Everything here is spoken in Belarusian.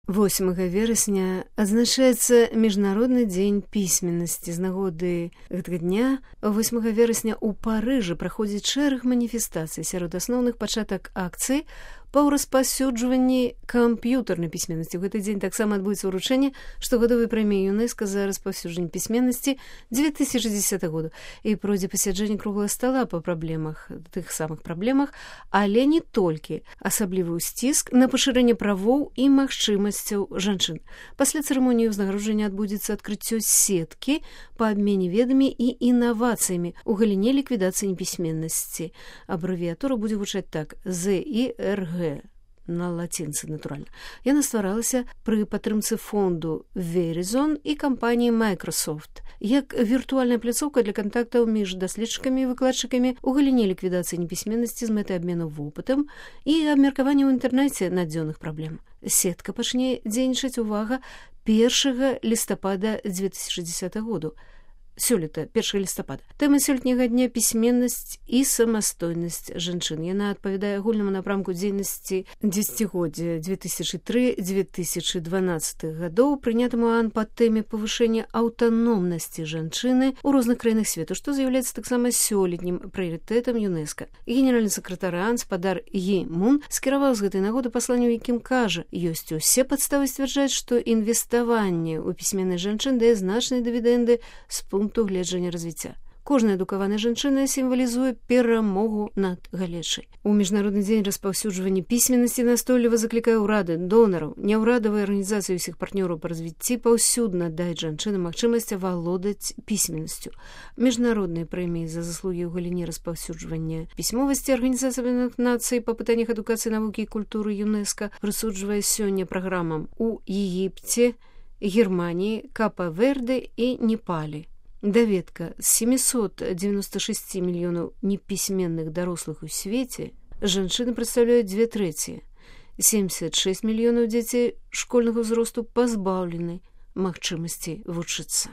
8 верасня адзначаецца міжнародны дзень пісьменнасці. З нагоды гэтага дня 8 верасня ў Парыжы праходзіць шэраг маніфестацый. Сярод асноўных пачатак акцыі па распаўсюджванні камп'ютарнай пісьменнасці. У гэты дзень таксама адбудзецца ўручэнне штогадовай прэміі ЮНЕСКО за распаўсюджванне пісьменнасці 2010 году. І пройдзе пасяджэнне круглага стала па праблемах, тых самых праблемах, але не толькі. Асаблівы ўсціск на пашырэнне правоў і магчымасцяў жанчын. Пасля цырымоніі ўзнагароджання адбудзецца адкрыццё сеткі па абмене ведамі і інавацыямі ў галіне ліквідацыі непісьменнасці. Абрэвіятура будзе гучаць так: ZIRG. На лацінцы, натуральна. Яна стваралася пры падтрымцы фонду Verizon і кампаніі Microsoft як віртуальная пляцоўка для кантактаў між даследчыкамі і выкладчыкамі ў галіне ліквідацыі непісьменнасці з мэтай абмену вопытам і абмеркавання ў інтэрнэце надзённых праблем. Сетка пачне дзейнічаць, увага, 1 лістапада 2010 году. Сёлета, 1 лістапада. Тэма сёлетняга дня — пісьменнасць і самастойнасць жанчын. Яна адпавядае агульнаму напрамку дзейнасці дзесяцігоддзя 2003-2012 гадоў, прынятаму АН па тэме павышэння аўтаномнасці жанчыны ў розных краінах свету, што з'яўляецца таксама сёлетнім прыярытэтам ЮНЕСКО. Генеральны сакратар АН спадар Гі Мун скіраваў з гэтай нагоды пасланне, у якім кажа: ёсць усе падставы сцвярджаць, што інвеставанне ў пісьменнасць жанчын дае значныя дывідэнды з пункту гледжання развіцця. Кожная адукаваная жанчына сімвалізуе перамогу над галечай. У міжнародны дзень распаўсюджвання пісьменнасці настойліва заклікае ўрады, донараў, няўрадавыя арганізацыі ўсіх партнёраў па развіцці паўсюдна даць жанчынам магчымасць авалодаць пісьменнасцю. Міжнародныя прэміі за заслугі ў галіне распаўсюджвання пісьмовасці Арганізацыя Аб'яднаных Нацый па пытаннях адукацыі, навукі і культуры ЮНЕСКО прысуджвае сёння праграмам у Егіпце, Германіі, Капа-Верде і Непалі. Даведка: з 796 мільёнаў непісьменных дарослых у свеце жанчыны прадстаўляюць 2/3. 76 мільёнаў дзяцей школьнага ўзросту пазбаўлены магчымасці вучыцца.